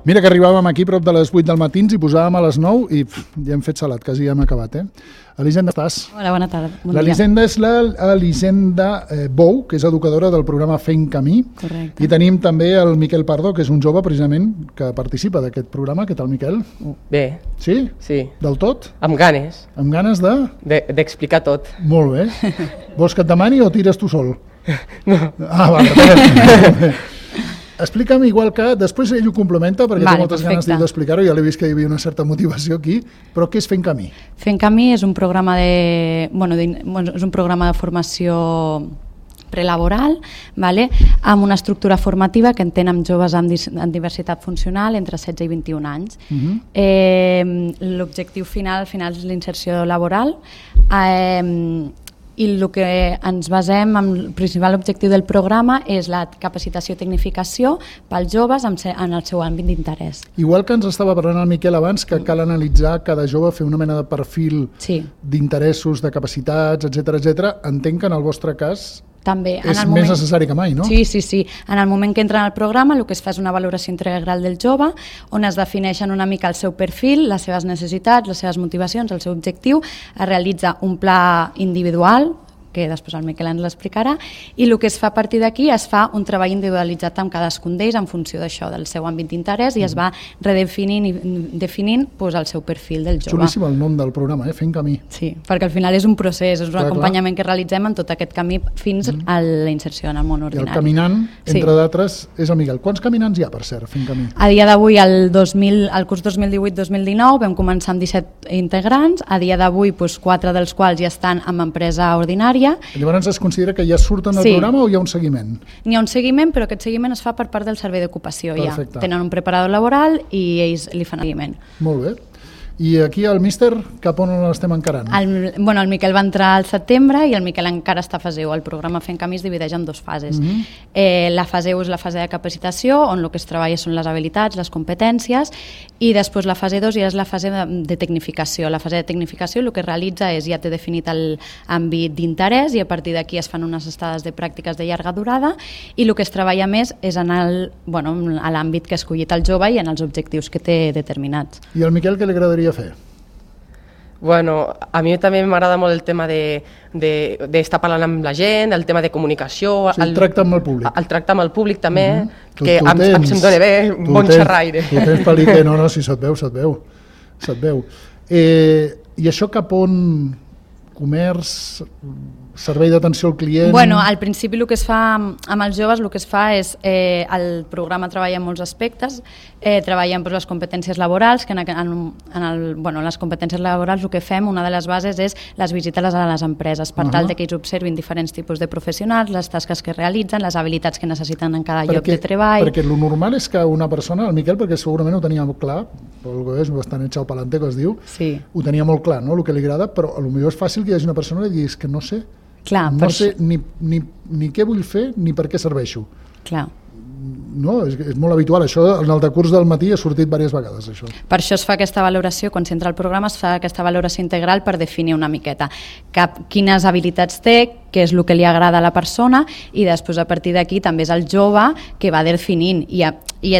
Mira que arribàvem aquí prop de les 8 del matí, ens hi posàvem a les 9 i ja hem fet salat, quasi ja hem acabat. Elisenda, estàs? Hola, bona tarda. L'Elisenda és l'Elisenda Bou, que és educadora del programa Fent Camí. Correcte. I tenim també el Miquel Pardo, que és un jove precisament que participa d'aquest programa. Què tal, Miquel? Bé. Sí? Sí. Del tot? Amb ganes. Amb ganes de? D'explicar tot. Molt bé. Vols que et demani o tires tu sol? No. Ah, vale. Explica'm, igual que després ell ho complementa, perquè té moltes ganes d'explicar-ho, ja l'he vist que hi havia una certa motivació aquí, però què és Fent Camí? Fent Camí és un programa és un programa de formació prelaboral, amb una estructura formativa que entén amb joves amb diversitat funcional entre 16 i 21 anys. L'objectiu final és la inserció laboral, i el que ens basem, el principal objectiu del programa és la capacitació i tecnificació pels joves en el seu àmbit d'interès. Igual que ens estava parlant el Miquel abans, que cal analitzar cada jove, fer una mena de perfil d'interessos, de capacitats, etc. Entenc que en el vostre cas també, és més necessari que mai, no? Sí. En el moment que entra en el programa el que es fa és una valoració integral del jove on es defineixen una mica el seu perfil, les seves necessitats, les seves motivacions, el seu objectiu, es realitza un pla individual que després el Miquel ens l'explicarà, i el que es fa a partir d'aquí es fa un treball individualitzat amb cadascun d'ells en funció d'això, del seu àmbit d'interès, i es va redefinint i definint el seu perfil del jove. Xulíssim el nom del programa, Fent Camí. Sí, perquè al final és un procés, és un acompanyament que realitzem en tot aquest camí fins a la inserció en el món ordinari. I el caminant, entre d'altres, és el Miquel. Quants caminants hi ha, per cert, Fent Camí? A dia d'avui, al curs 2018-2019, vam començar amb 17 integrants, a dia d'avui 4 dels quals ja estan en empresa ordinària. Llavors es considera que ja surten del programa o hi ha un seguiment? N'hi ha un seguiment, però aquest seguiment es fa per part del servei d'ocupació. Tenen un preparador laboral i ells li fan seguiment. Molt bé. I aquí el míster, cap on l'estem encarant? El Miquel va entrar al setembre i el Miquel encara està a fase 1. El programa Fent Camí es divideix en 2 fases. La fase 1 és la fase de capacitació, on el que es treballa són les habilitats, les competències, i després la fase 2 ja és la fase de tecnificació. La fase de tecnificació el que es realitza és ja té definit l'àmbit d'interès i a partir d'aquí es fan unes estades de pràctiques de llarga durada i el que es treballa més és en l'àmbit que ha escollit el jove i en els objectius que té determinats. I al Miquel què li agradaria fer? Bueno, a mi també m'agrada molt el tema d'estar parlant amb la gent, el tema de comunicació... El tracte amb el públic. El tracte amb el públic també, que se'm dona bé, bon xerraire. Tu tens pel·li no, si se't veu. I això cap on? Comerç, servei d'atenció al client... Al principi el que es fa amb els joves, el que es fa és el programa treballa en molts aspectes, treballa en les competències laborals, que en les competències laborals el que fem, una de les bases és les visites a les empreses, per tal que ells observin diferents tipus de professionals, les tasques que realitzen, les habilitats que necessiten en cada lloc de treball... Perquè el normal és que una persona, el Miquel, perquè segurament ho tenia molt clar, però és bastant echau palante que es diu, ho tenia molt clar, el que li agrada, però potser és fàcil que hi hagi una persona que digui que no sé, no sé ni què vull fer ni per què serveixo. Clar. No, és molt habitual, això en el decurs del matí ha sortit diverses vegades, això. Per això es fa aquesta valoració, quan s'entra al programa es fa aquesta valoració integral per definir una miqueta quines habilitats té, què és el que li agrada a la persona i després a partir d'aquí també és el jove que va definint i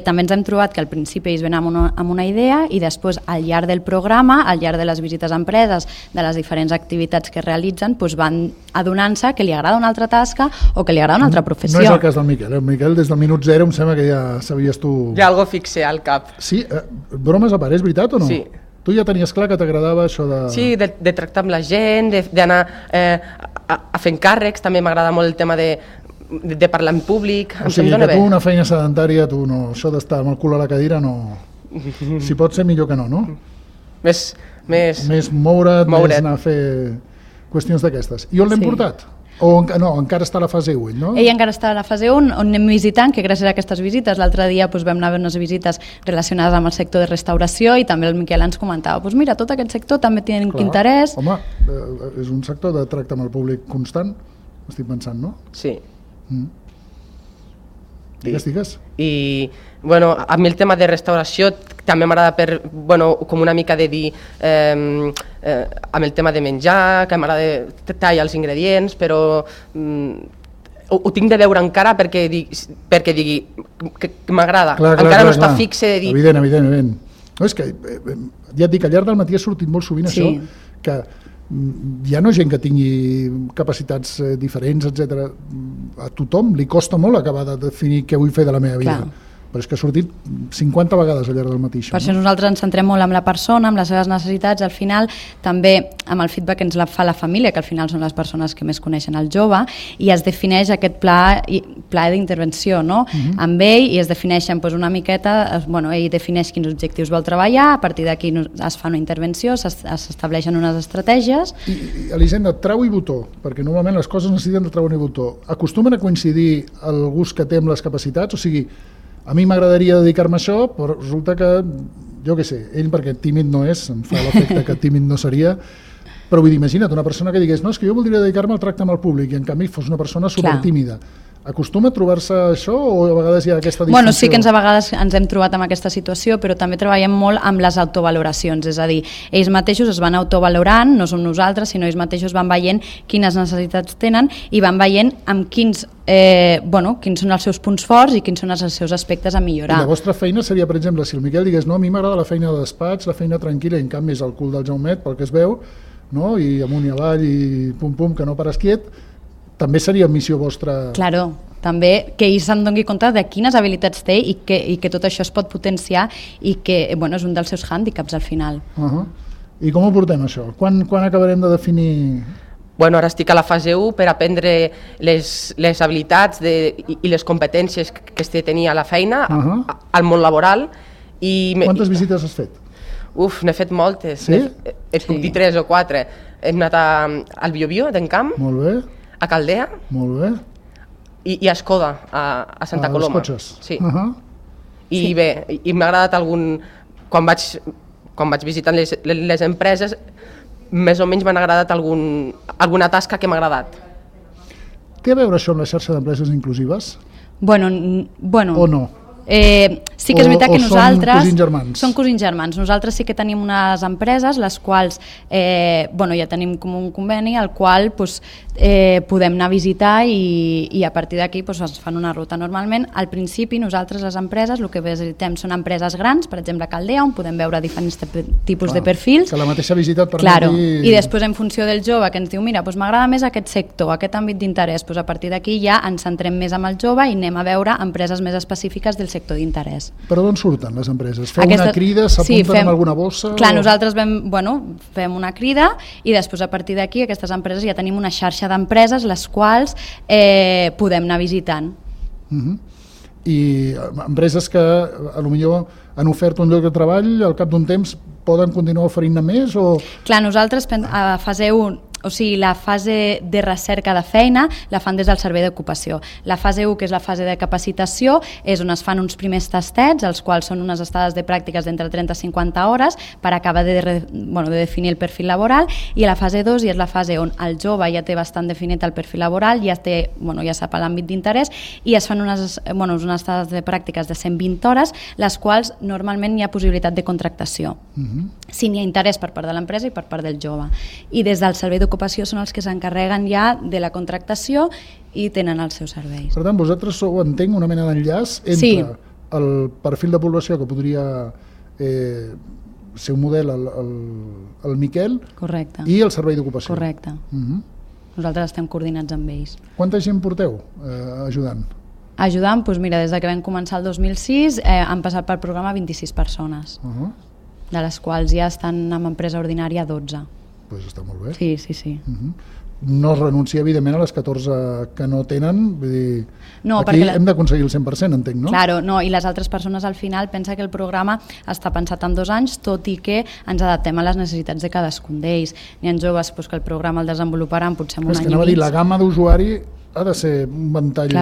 també ens hem trobat que al principi ells venen amb una idea i després al llarg del programa, al llarg de les visites a empreses, de les diferents activitats que realitzen, van adonant-se que li agrada una altra tasca o que li agrada una altra professió. No és el cas del Miquel, el Miquel des del minut 0 em sembla que ja sabies tu... Hi ha algo fixe al cap. Sí, bromes a part, és veritat o no? Sí. Tu ja tenies clar que t'agradava això de... Sí, de tractar amb la gent, d'anar a fer càrrecs, també m'agrada molt el tema de parlar en públic. O sigui, que tu una feina sedentària, tu no, això d'estar amb el cul a la cadira no... Si pot ser millor que no, no? Més moure't, més anar a fer qüestions d'aquestes. I on l'hem portat? No, encara està a la fase 1, no? Ell encara està a la fase 1, on anem visitant, que gràcies a aquestes visites, l'altre dia vam anar a veure unes visites relacionades amb el sector de restauració i també el Miquel ens comentava, mira, tot aquest sector també té interès. Home, és un sector de tracte amb el públic constant, estic pensant, no? Sí. Digues. I, a mi el tema de restauració també m'agrada com una mica de dir amb el tema de menjar, que m'agrada tallar els ingredients, però ho tinc de veure encara perquè digui que m'agrada. Encara no està fixe de dir... Evident. No, és que, ja et dic, al llarg del matí ha sortit molt sovint això, que hi ha no gent que tingui capacitats diferents, etc. A tothom li costa molt acabar de definir què vull fer de la meva vida. Però és que ha sortit 50 vegades al llarg del matí. Per això nosaltres ens centrem molt en la persona, amb les seves necessitats, al final també amb el feedback que ens fa la família, que al final són les persones que més coneixen el jove, i es defineix aquest pla d'intervenció, no? Amb ell, i es defineixen una miqueta, ell defineix quins objectius vol treballar, a partir d'aquí es fa una intervenció, s'estableixen unes estratègies. I Elisenda, trau i botó, perquè normalment les coses necessiten de trau i botó. Acostumen a coincidir el gust que té amb les capacitats? O sigui, a mi m'agradaria dedicar-me a això, però resulta que, jo què sé, ell perquè tímid no és, em fa l'efecte que tímid no seria, però vull dir, imagina't una persona que digués no, és que jo voldria dedicar-me al tracte amb el públic i en canvi fos una persona supertímida. Acostuma a trobar-se això o a vegades hi ha aquesta distinció? Sí que a vegades ens hem trobat amb aquesta situació, però també treballem molt amb les autovaloracions, és a dir, ells mateixos es van autovalorant, no som nosaltres, sinó ells mateixos van veient quines necessitats tenen i van veient amb quins són els seus punts forts i quins són els seus aspectes a millorar. I la vostra feina seria, per exemple, si el Miquel digués no, a mi m'agrada la feina de despatx, la feina tranquil·la, i en canvi és el cul del Jaumet, pel que es veu, no? I amunt i avall i pum-pum, que no pares quiet, també seria missió vostra... Claro, també que ell se'n doni compte de quines habilitats té i que tot això es pot potenciar i que és un dels seus hàndicaps al final. I com ho portem això? Quan acabarem de definir... Ara estic a la fase 1 per aprendre les habilitats i les competències que has de tenir a la feina, al món laboral. Quantes visites has fet? N'he fet moltes. Sí? Et puc dir 3 o 4. Hem anat al Biobío, d'Encamp, molt bé. A Caldea, molt bé. I a Escoda, a Santa Coloma. Els cotxes. Sí. I bé, m'ha agradat algun... Quan vaig visitant les empreses, més o menys m'han agradat alguna tasca que m'ha agradat. Té a veure això amb la xarxa d'empreses inclusives? Bueno. O no? Sí que és veritat que nosaltres... són cosins germans? Són cosins germans. Nosaltres sí que tenim unes empreses, les quals ja tenim com un conveni, al qual podem anar a visitar i a partir d'aquí es fan una ruta. Normalment, al principi, nosaltres les empreses, el que visitem són empreses grans, per exemple a Caldea, on podem veure diferents tipus de perfils. Que la mateixa visita et permeti... I després, en funció del jove, que ens diu, mira, m'agrada més aquest sector, aquest àmbit d'interès, a partir d'aquí ja ens centrem més amb el jove i anem a veure empreses més específiques del sector d'interès. Per on surten les empreses? Feu una crida, s'apunten amb alguna bossa? Clar, nosaltres fem una crida i després a partir d'aquí aquestes empreses ja tenim una xarxa d'empreses les quals podem anar visitant. I empreses que potser han ofert un lloc de treball, al cap d'un temps poden continuar oferint-ne més? Clar, nosaltres a fase 1, o sigui, la fase de recerca de feina la fan des del servei d'ocupació. La fase 1, que és la fase de capacitació, és on es fan uns primers tastets, els quals són unes estades de pràctiques d'entre 30 i 50 hores per acabar de definir el perfil laboral, i la fase 2 és la fase on el jove ja té bastant definit el perfil laboral, ja sap l'àmbit d'interès, i es fan unes estades de pràctiques de 120 hores, les quals normalment hi ha possibilitat de contractació. Si n'hi ha interès per part de l'empresa i per part del jove. I des del servei d'ocupació són els que s'encarreguen ja de la contractació i tenen els seus serveis. Per tant, vosaltres sou, entenc, una mena d'enllaç entre el perfil de població que podria ser un model el Miquel i el servei d'ocupació. Correcte. Nosaltres estem coordinats amb ells. Quanta gent porteu ajudant? Ajudant, doncs mira, des que vam començar el 2006 han passat pel programa 26 persones, de les quals ja estan en empresa ordinària 12. Doncs està molt bé. Sí. No es renuncia, evidentment, a les 14 que no tenen, vull dir, no, aquí hem d'aconseguir el 100%, entenc, no? Claro, no, i les altres persones al final pensa que el programa està pensat en 2 anys, tot i que ens adaptem a les necessitats de cadascun d'ells. N'hi ha joves que el programa el desenvoluparan potser en un any i mig. És que anava a dir, la gamma d'usuari ha de ser un ventall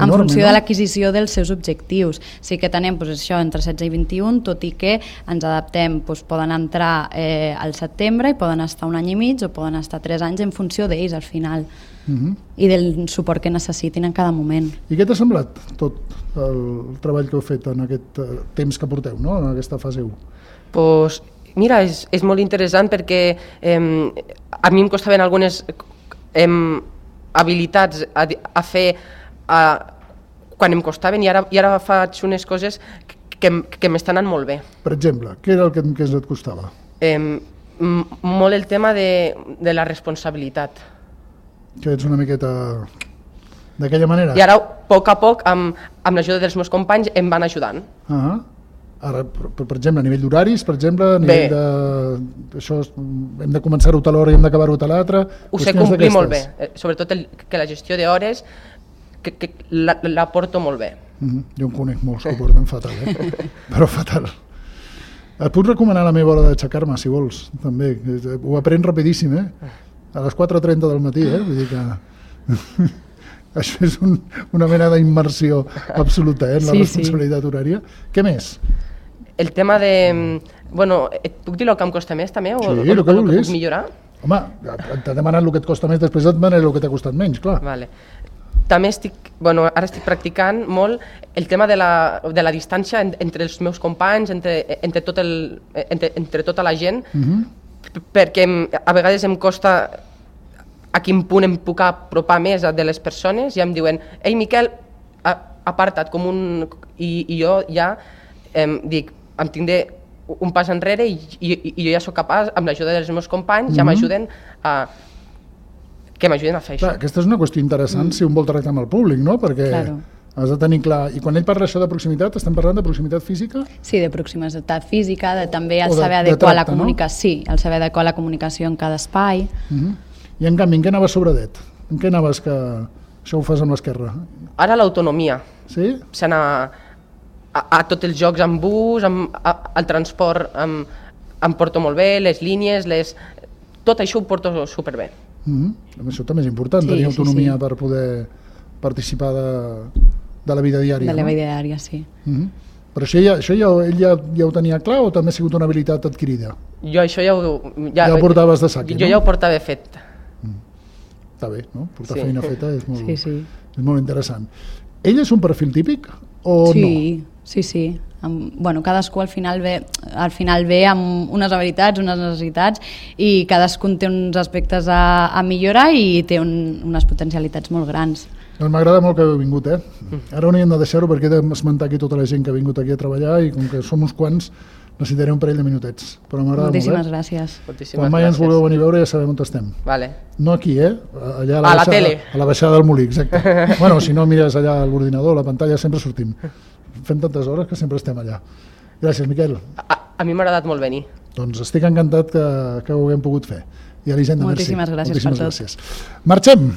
en funció de l'adquisició dels seus objectius. Sí que tenem això entre 16 i 21, tot i que ens adaptem, poden entrar al setembre i poden estar un any i mig o poden estar 3 anys en funció d'ells al final i del suport que necessitin en cada moment. I què t'ha semblat tot el treball que heu fet en aquest temps que porteu, no? En aquesta fase 1? Doncs mira, és molt interessant perquè a mi em costaven algunes habilitats a fer quan em costaven, i ara faig unes coses que m'estan anant molt bé. Per exemple, què era el que et costava? Molt el tema de la responsabilitat. Que ets una miqueta d'aquella manera? I ara, a poc, amb l'ajuda dels meus companys, em van ajudant. Ara, per exemple, a nivell d'horaris, per exemple, a nivell de... Això, hem de començar-ho a tal hora i hem d'acabar-ho a tal altra... Ho sé complir molt bé, sobretot que la gestió d'hores que la porto molt bé. Jo en conec molts que ho porten fatal, però fatal. Et puc recomanar la meva hora d'aixecar-me, si vols, també. Ho aprens rapidíssim, a les 4:30 del matí, vull dir que... Això és una mena d'immersió absoluta, en la responsabilitat horària. Què més? El tema de... Bueno, et puc dir el que em costa més, també? Sí, el que vulguis. Puc millorar? Home, t'ha demanat el que et costa més, després et demanaré el que t'ha costat menys, clar. Vale. També ara estic practicant molt el tema de la distància entre els meus companys, entre tota la gent, perquè a vegades em costa a quin punt em puc apropar més de les persones, i em diuen, ei Miquel, aparta't, i jo ja dic, em tindré un pas enrere i jo ja sóc capaç, amb l'ajuda dels meus companys, ja m'ajuden a fer això. Aquesta és una qüestió interessant si un vol tractar amb el públic, no? Perquè has de tenir clar... I quan ell parla això de proximitat, estem parlant de proximitat física? Sí, de proximitat física, també el saber adequar la comunicació. Sí, el saber adequar la comunicació en cada espai. I en canvi, en què anaves sobredet? En què anaves que això ho fas amb l'esquerra? Ara l'autonomia. Sí? S'anar a tots els jocs amb bus, al transport em porto molt bé, les línies, tot això ho porto superbé. Això també és important, tenir autonomia per poder participar de la vida diària. De la vida diària, sí. Però això ell ja ho tenia clar o també ha sigut una habilitat adquirida? Jo això ja ho portaves de sac, no? Jo ja ho portava fet. Està bé, no? Portar feina feta és molt interessant. Ell és un perfil típic o no? Sí. Bueno, cadascú al final ve amb unes habilitats, unes necessitats, i cadascun té uns aspectes a millorar i té unes potencialitats molt grans. Doncs m'agrada molt que heu vingut, Ara hauríem de deixar-ho perquè he d'esmentar aquí tota la gent que ha vingut aquí a treballar, i com que som uns quants necessitaré un parell de minutets, però m'agrada molt. Moltíssimes gràcies. Quan mai ens vulgueu venir a veure ja sabem on estem. Vale. No aquí, allà a la tele. A la baixada del Molí, exacte. Bueno, si no mires allà a l'ordinador, a la pantalla, sempre sortim. Fem tantes hores que sempre estem allà. Gràcies, Miquel. A mi m'ha agradat molt venir. Doncs estic encantat que ho haguem pogut fer. I a l'Hisenda, merci. Moltíssimes gràcies per tot. Marxem!